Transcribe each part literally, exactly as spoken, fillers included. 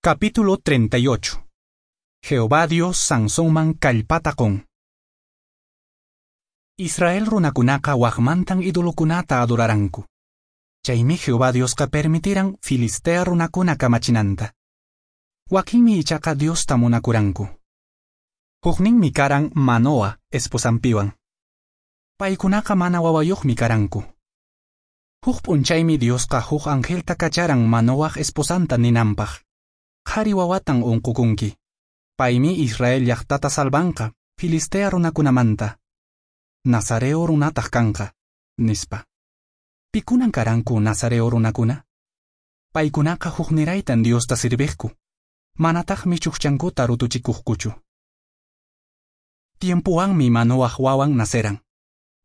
Capítulo treinta y ocho. Jehová Dios Sansonman kallpata qun. Israel runakunaqa waqmantan idolokunata adoraranku. Chaymi Jehová Diosqa permitiran Filistea runakuna kamachinanta. Wakinmi ichaqa Diosta munakuranku. Hukninmi karan Manoa esposanpiwan. Paykunaqa mana wawayuqmi karanku. Huk p'unchaymi Diosqa huk angelta kacharan Manoaq esposanta ninanpaq. Qhari wawatan unqukunki. Paymi Israel llaqtata salvanqa Filistea runakunamanta. Nazareo runataq kanqa, nispa. Pikunan karanku Nazareo runakuna? Paykunaqa hukniraytan Diosta sirviqku. Manataqmi chukchankuta rutuchikuqkuchu. Tiempuwanmi Manoaq wawan naceran.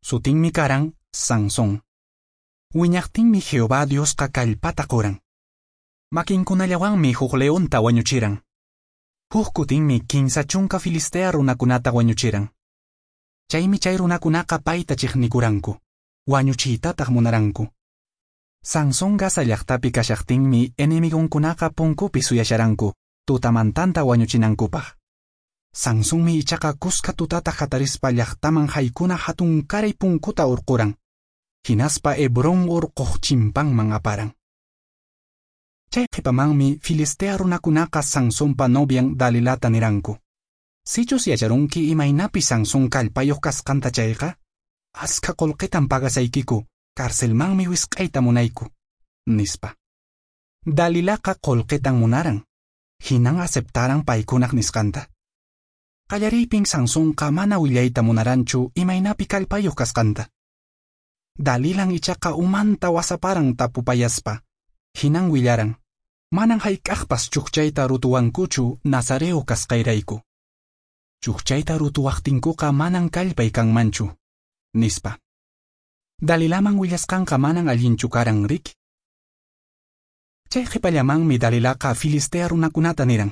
Sutinmi karan Sansón. Wiñaqtinmi Jehová Diosqa kallpata quran. Makinkunallawanmi huk leonta wañuchiran. Huk kutinmi kinsa chunka Filistea runakunata wañuchiran. Chaymi chay runakunaqa payta chiqnikuranku, wañuchiytataq munaranku. Sansón Gaza llaqtapi kashaqtinmi enemigonkunaqa punkupi suyasharanku, tutamantanta wañuchinankupaq. Sansonmi ichaqa kuska tutata hatarispa llaqtaman haykuna hatunkaray punkuta urquran. Hinaspa Hebrón urquq chimpanman aparan. Chay qhipamanmi Filistea runakunaqa Sansonpa novian Dalilata niranku. Sichus yacharunki imaynapi Sansón kallpayuq kasqanta chayqa, askha qullqitan pagasaykiku, carcelmanmi wisq'ayta munayku, nispa. Dalilaqa qullqitan munaran, hinan aceptaran paykunaq nisqanta. Qallariypin Sansonqa mana willayta munaranchu imaynapi kallpayuq kasqanta. Dalilan ichaqa umanta wasaparan tapupayaspa, hinan willaran, manan hayk'aqpas chukchayta rutuwankuchu Nazareo kasqayrayku. Chukchayta rutuwaqtinkuqa manan kallpay kanmanchu, nispa. Dalilaman willasqanqa manan allinchu karan riki. Chay qhipallamanmi Dalilaqa Filistea runakunata niran,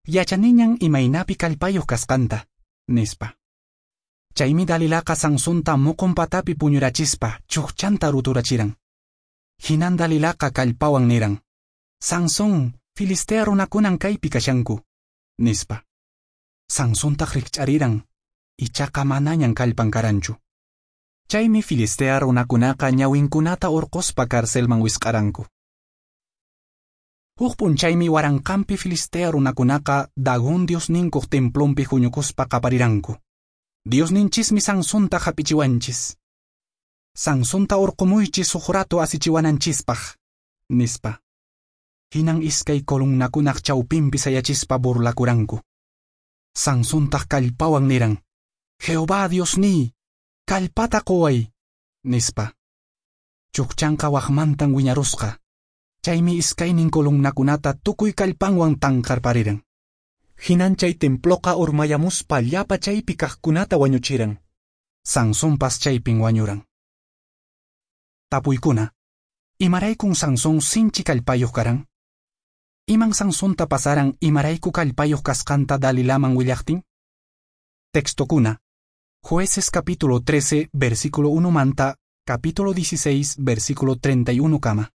yachaniñan imaynapi kallpayuq kasqanta, nispa. Chaymi Dalilaqa Sansonta muqun patapi puñurachispa chukchanta ruturachiran. Hinan Dalilaqa kallpawan niran, Sansón, Filistea runakunan kaypi kashanku, nispa. Sansontaq rikch'ariran, ichaqa manañan kallpan karanchu. Chaymi Filistea runakunaqa ñawinkunata urquspa carcelman wisq'aranku. Huk p'unchaymi waranqanpi Filistea runakunaqa Dagón diosninkuq templonpi huñukuspa qapariranku. Diosninchismi Sansonta hap'ichiwanchis. Sansonta urqumuychis huk rato asichiwananchispaq, nispa. Hinan iskay columnakunaq chawpinpi sayachispa burlakuranku. Sansontaq kallpawan niran, Jehová Diosniy, kallpata quway, nispa. Chukchanqa waqmantan wiñarusqa. Chaymi iskaynin columnakunata tukuy kallpanwan tanqarpariran. Hinan chay temploqa urmayamuspa llapa chaypi kaqkunata wañuchiran. Sansonpas chaypin wañuran. Tapuykuna, imaraykun Sansón sinchi kallpayuq karan? Iman Sansonta pasaran imarayku kallpayuq kasqanta Dalilaman willaqtin? Textokuna, Jueces capítulo trece, versículo uno manta, capítulo dieciséis, versículo treinta y uno kama.